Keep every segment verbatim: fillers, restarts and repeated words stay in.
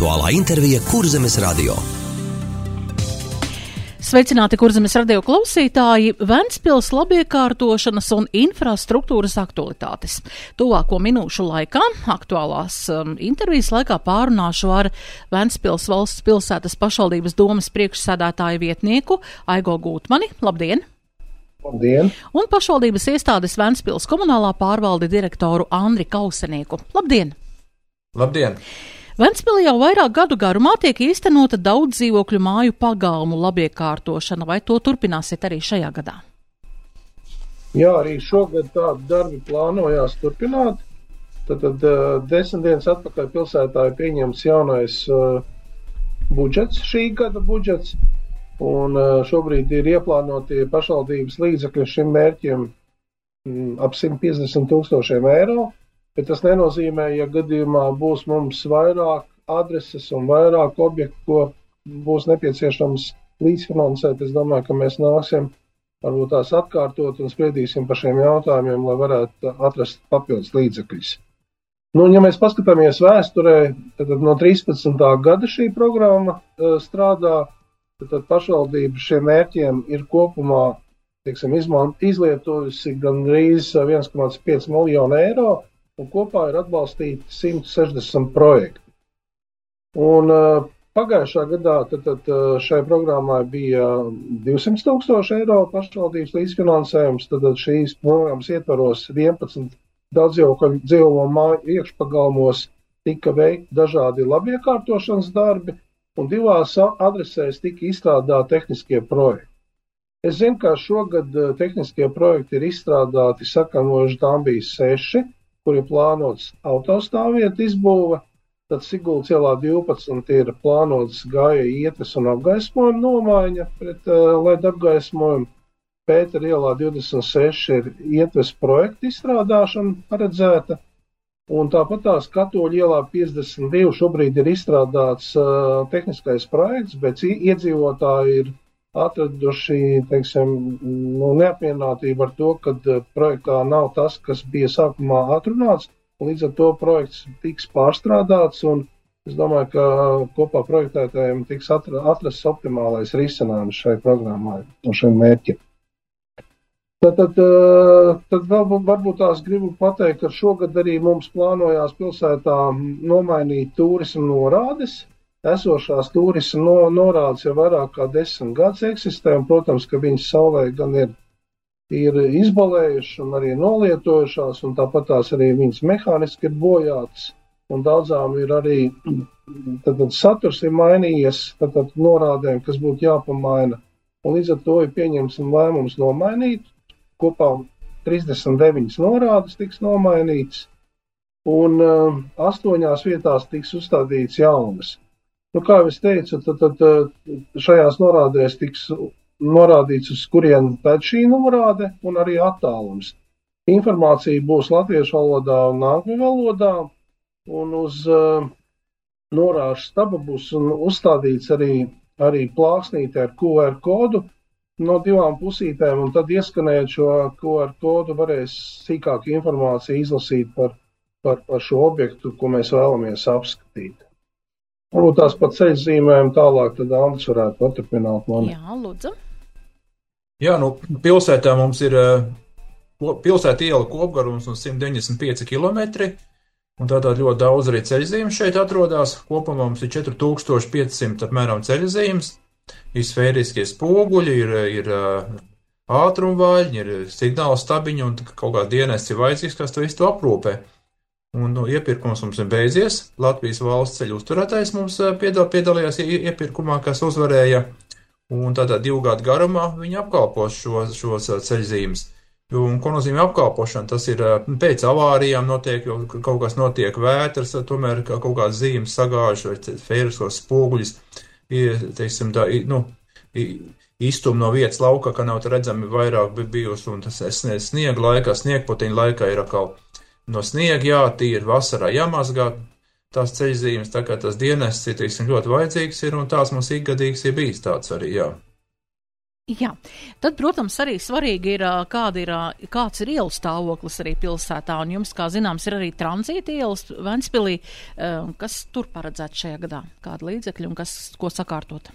Aktuālā intervija Kurzemes radio. Sveicināti Kurzemes radio klausītāji, Ventspils labiekārtošanas un infrastruktūras aktualitātes. Tuvāko minūšu laikā, aktuālās um, intervijas laikā pārunāšu ar Ventspils valsts pilsētas pašvaldības domes priekšsēdētāju vietnieku Aigo Gūtmani. Labdien! Labdien! Un pašvaldības iestādes Ventspils komunālā pārvalde direktoru Andri Kausenieku. Labdien! Labdien! Ventspilī jau vairāk gadu garumā tiek īstenota daudz dzīvokļu māju pagalmu labiekārtošana, vai to turpināsiet arī šajā gadā? Jā, arī šogad tādi darbi plānojās turpināt. Tad, tad uh, desmit dienas atpakaļ pilsētā ir pieņemts jaunais uh, budžets, šī gada budžets, un uh, šobrīd ir ieplānotie pašvaldības līdzekļi šim mērķiem mm, ap simt piecdesmit tūkstošiem eiro. Bet tas nenozīmē, ja gadījumā būs mums vairāk adreses un vairāk objektu, ko būs nepieciešams līdzfinansēt. Es domāju, ka mēs nāksim varbūt tās atkārtot un spriedīsim par šiem jautājumiem, lai varētu atrast papildus līdzekļus. Nu, ja mēs paskatāmies vēsturē, tad no trīspadsmitā gada šī programma uh, strādā, tad pašvaldība šiem mērķiem ir kopumā, teiksim, izlietojusi gandrīz viens komats pieci miljonu eiro. Un kopā ir atbalstīti simt sešdesmit projekti. Un uh, pagājušā gadā tad, tad, šai programmai bija divsimt tūkstoši eiro pašvaldības līdzfinansējums, tad, tad šīs programmas ietvaros vienpadsmit daudzdzīvokļu māju iekšpagalmos tika veikti dažādi labiekārtošanas darbi, un divās adresēs tika izstrādāti tehniskie projekti. Es zinu, ka šogad tehniskie projekti ir izstrādāti sakamojuši, tām bija seši, kur ir plānots autostāvvietu izbūve, tad Siguldas ielā divpadsmit ir plānots gāja ietves un apgaismojuma nomaiņa pret uh, L E D apgaismojumu. Pētera ielā divdesmit seši ir ietves projekta izstrādāšana paredzēta, un tāpat tās Katoļu ielā piecdesmit divi šobrīd ir izstrādāts uh, tehniskais projekts, bet iedzīvotāji ir atraduši, teiksim, nu, neapmierinātību ar to, ka projektā nav tas, kas bija sākumā atrunāts, un līdz ar to projekts tiks pārstrādāts, un es domāju, ka kopā projektētājiem tiks atrasts optimālais risinājums šai programmai un šai mērķi. Tad, tad, tad vēl varbūt tās gribu pateikt, ka šogad arī mums plānojās pilsētā nomainīt turismu norādes. Esošās turisma no, norādes jau vairāk kā desmit gadus eksistē, un, protams, ka viņas saulē gan ir, ir izbalējušas un arī nolietojušās, un tāpat tās arī viņas mehāniski ir bojātas, un daudzām ir arī tad, tad saturs ir mainījies, tad, tad norādēm, kas būtu jāpamaina, un līdz ar to ir pieņemts lēmums nomainīt. Kopā trīsdesmit deviņas norādes tiks nomainītas, un uh, astoņās vietās tiks uzstādīts jaunas. Nu, kā jau es teicu, tad, tad šajās norādēs tiks norādīts, uz kurien pēc šī norāde un arī attālums. Informācija būs latviešu valodā un angļu valodā, un uz uh, norāžu staba būs uzstādīts arī, arī plāksnīte ar Q R kodu no divām pusītēm, un tad ieskanējot šo Q R kodu varēs sīkāku informāciju izlasīt par, par, par šo objektu, ko mēs vēlamies apskatīt. Varbūt tās pat ceļzīmēm tālāk, tad Andris varētu paturpināt mani. Jā, lūdzu. Jā, nu, pilsētā mums ir pilsēta iela kopgarums un simt deviņdesmit pieci kilometri, un tātad ļoti daudz arī ceļzīmes šeit atrodas. Kopumā mums ir četri tūkstoši pieci simti apmēram ceļzīmes, ir sfēriskie spoguļi, ir, ir ātrumvaļņi, ir signāla stabiņi un kaut kā dienests ir vajadzīgs, kas to visu aprūpē. Un nu, iepirkums mums ir beidzies. Latvijas valsts ceļu uzturētājs mums piedal, piedalījās iepirkumā, kas uzvarēja. Un tātad divu gadu garumā viņi apkalpos šos, šos ceļzīmes. Un ko nozīmē apkalpošana? Tas ir pēc avārijām notiek, jo kaut kas notiek vētras, tomēr kaut kāds zīmes sagāžas vai fēriskos spoguļus, teiksim, tā, nu, iztum no vietas lauka, ka nav redzami vairāk bijusi, un tas sniega laikā, sniegpotiņa laikā ir atkal no sniega jātīra, vasarā jāmazgā tās ceļzīmes, tā kā tas dienests ir, teiksim, ļoti vajadzīgs ir, un tās mums ikgadīgs ir bijis tāds arī, jā. Jā, tad, protams, arī svarīgi ir, kāda ir, kāds ir ielu stāvoklis arī pilsētā, un jums, kā zināms, ir arī tranzīta ielas Ventspilī. Kas tur paredzēts šajā gadā? Kāda līdzekļa un kas, ko sakārtot?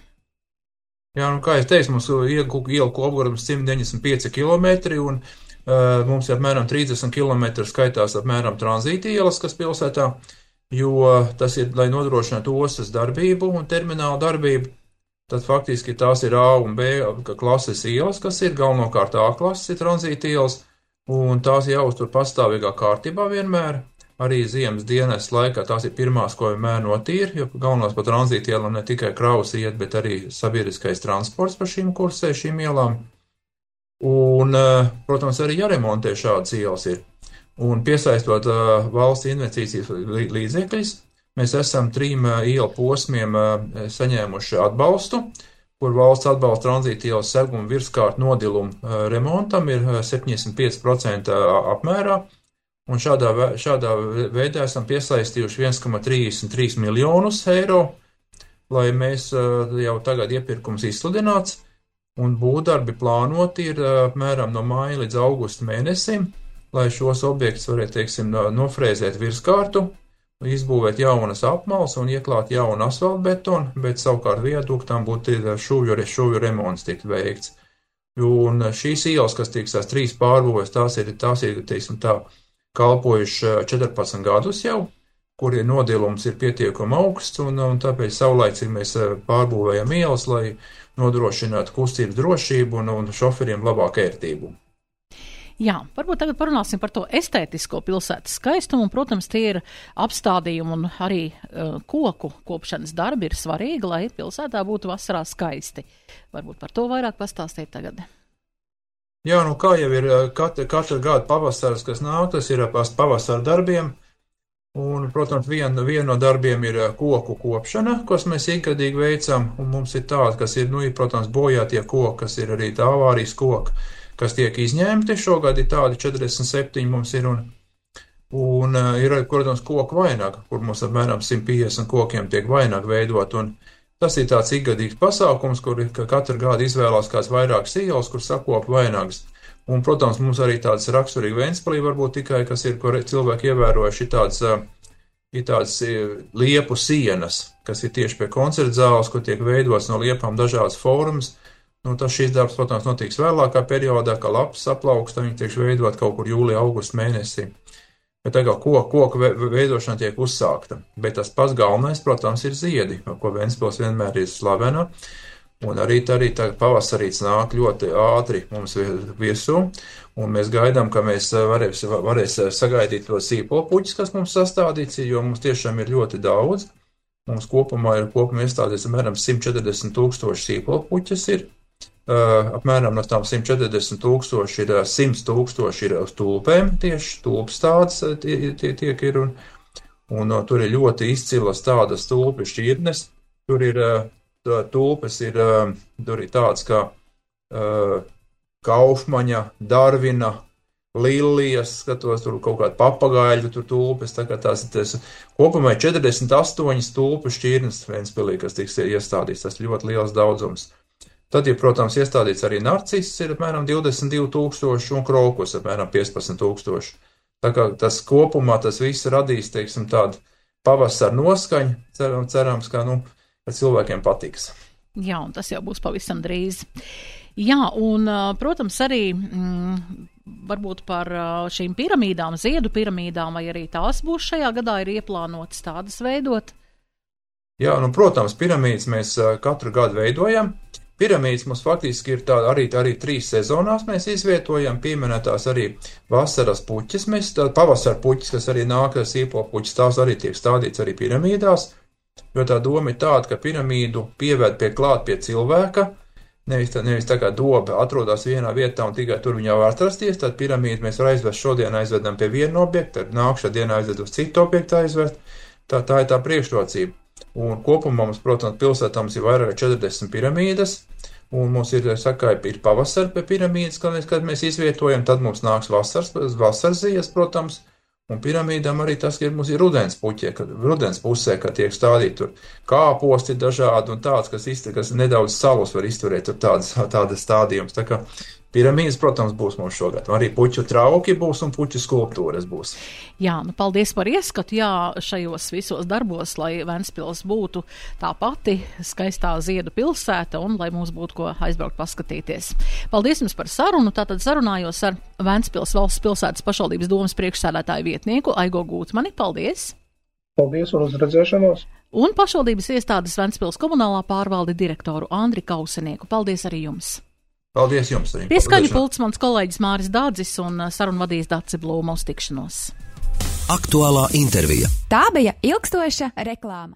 Jā, nu, kā es teicu, mums ielu kopgarums simt deviņdesmit pieci kilometri, un uh, mums ir apmēram trīsdesmit kilometri skaitās apmēram tranzīta ielas, kas pilsētā, jo tas ir, lai nodrošinātu ostas darbību un terminālu darbību. Tad faktiski tās ir A un B klases ielas, kas ir galvenokārt A klases ir tranzīta ielas, un tās jāuztur pastāvīgā kārtībā vienmēr. Arī ziemas dienas laikā tās ir pirmās, ko vienmēr notīra, jo galvenās pa tranzīta ielām ne tikai kravas iet, bet arī sabiedriskais transports pa šīm kursē, šīm ielām. Un, protams, arī jāremontē šādas ielas ir. Un piesaistot valsts investīcijas līdzekļus, mēs esam trim ielu posmiem saņēmuši atbalstu, kur valsts atbalsta tranzīta ielas seguma virskārt nodilumu remontam ir septiņdesmit pieci procenti apmērā, un šādā, šādā veidā esam piesaistījuši viens komats trīsdesmit trīs miljonus eiro, lai mēs jau tagad iepirkums izsludināts, un būvdarbi plānoti ir apmēram no māja līdz augusta mēnesim, lai šos objektus varētu, teiksim, nofrēzēt virskārtu, izbūvēt jaunas apmales un ieklāt jaunu asfaltbetonu, bet savukārt viaduktām būtu šuvju, šuvju remonts tikt veikts. Un šīs ielas, kas tiks tās trīs pārbūvēs, tās ir, tās ir, teiksim tā, kalpojuši četrpadsmit gadus jau, kur nodilums ir pietiekami augsts, un, un tāpēc saulaicīgi mēs pārbūvējam ielas, lai nodrošinātu kustības drošību un, un šoferiem labāku ērtību. Jā, varbūt tagad parunāsim par to estētisko pilsētas skaistumu, un, protams, tie ir apstādījumi un arī uh, koku kopšanas darbi ir svarīgi, lai pilsētā būtu vasarā skaisti. Varbūt par to vairāk pastāstīt tagad. Jā, nu kā jau ir katra, katra gada pavasaras, kas nāk, tas ir pavasara darbiem, un, protams, viena vien no darbiem ir koku kopšana, kas mēs ikgadīgi veicam, un mums ir tāda, kas ir, nu, ir, protams, bojātie koki, kas ir arī tā avārijas koki, kas tiek izņemti. Šogad ir tādi četrdesmit septiņi mums ir, un, un ir, protams, koku vainaga, kur mums apmēram simt piecdesmit kokiem tiek vainaga veidot, un tas ir tāds ikgadīgs pasākums, kur katru gadu izvēlās kāds vairākas ielas, kur sakopa vainagas. Un, protams, mums arī tāds raksturīgi Ventspilī varbūt tikai, kas ir, kur cilvēki ievērojuši, ir tāds, ir tāds liepu sienas, kas ir tieši pie koncerta zāles, kur tiek veidots no liepām dažādas formas. Nu, tas šīs darbs, protams, notiks vēlākā periodā, kā lapas aplauksta, viņi tiek veidot kaut kur jūlija, augusta mēnesī. Bet tagad koku, koku veidošana tiek uzsākta. Bet tas pats galvenais, protams, ir ziedi, ko Ventspils vienmēr ir slavena. Un arī, arī tagad pavasarīts nāk ļoti ātri mums virsū, un mēs gaidām, ka mēs varēs, varēs sagaidīt to sīpolpuķis, kas mums sastādīts, jo mums tiešām ir ļoti daudz. Mums kopumā ir kopumā iestādīts apmēram simt četrdesmit tūkstoši sīpolpuķis ir. Uh, apmēram no tām simt četrdesmit tūkstoši ir, simt tūkstoši ir uz tulpēm, tieši tulpas tādas tie, tie, tiek ir, un, un uh, tur ir ļoti izcilas tādas tulpi šķirnes, tur ir uh, tulpes, ir, uh, tur ir tāds kā uh, Kaufmaņa, Darvina, Lilijas, skatos, tur kaut kāda papagaļu, tur tulpes, tā kā tās, tas kopumā četrdesmit astoņas tulpu šķirnes Ventspilī, kas tiks iestādīts, tas ļoti liels daudzums. Tad ir, protams, iestādīts arī narciss, ir apmēram divdesmit divi tūkstoši, un krokus apmēram piecpadsmit tūkstoši. Tā kā tas kopumā, tas viss radīs, teiksim, tādu pavasaru noskaņu, ceram, cerams, ka, nu, ka cilvēkiem patiks. Jā, un tas jau būs pavisam drīz. Jā, un, protams, arī mm, varbūt par šīm piramīdām, ziedu piramīdām, vai arī tās būs šajā gadā ir ieplānotas tādas veidot? Jā, nu, protams, piramīdas mēs katru gadu veidojam. Piramīdas mums faktiski ir tā, arī, arī trīs sezonās mēs izvietojam, pieminētās arī vasaras puķis, mēs tā pavasara puķis, kas arī nāk ar sīpolpuķis, tās arī tiek stādīts arī piramīdās, jo tā doma ir tāda, ka piramīdu pieved pie klāt pie cilvēka, nevis tā, nevis tā kā doba atrodas vienā vietā un tikai tur viņā var atrasties, tad piramīdu mēs var aizvest šodien aizvedam pie viena objekta, tad nākšā dienā aizved uz citu objektu aizvest, tā, tā ir tā priekšrocība. Un kopumā mums, protams, pilsētā mums ir vairāk četrdesmit piramīdas, un mums ir, saka, ir pavasara pie piramīdas, kad mēs, kad mēs izvietojam, tad mums nāks vasaras, vasaras zies, protams, Un piramīdām arī tas, ka mums ir rudens puķie, kad rudens pusē, kad tiek stādīti tur kāposti dažādi un tāds, kas, iztur, kas nedaudz salus var izturēt tur tādas, tādas stādījums. Tā kā piramīdas, protams, būs mums šogad. Arī puķu trauki būs un puķu skulptūras būs. Jā, nu paldies par ieskatu, jā, šajos visos darbos, lai Ventspils būtu tā pati skaistā ziedu pilsēta un lai mums būtu ko aizbraukt paskatīties. Paldies jums par sarunu. Tātad sarunājos ar Ventspils valsts pilsētas pašvaldības domas priekšsēdētāju vietnieku Aigo Gūtmani. Paldies! Paldies un uz redzēšanos! Un pašvaldības iestādes Ventspils komunālā pārvalde direktoru Andri Kausenieku. Paldies arī jums! Paldies jums! Arī. Pieskaņu pults mans kolēģis Māris Dādzis un sarunu vadīs Daci Blūma. Uz tikšanos! Aktuālā intervija. Tā bija ilgstoša reklāma.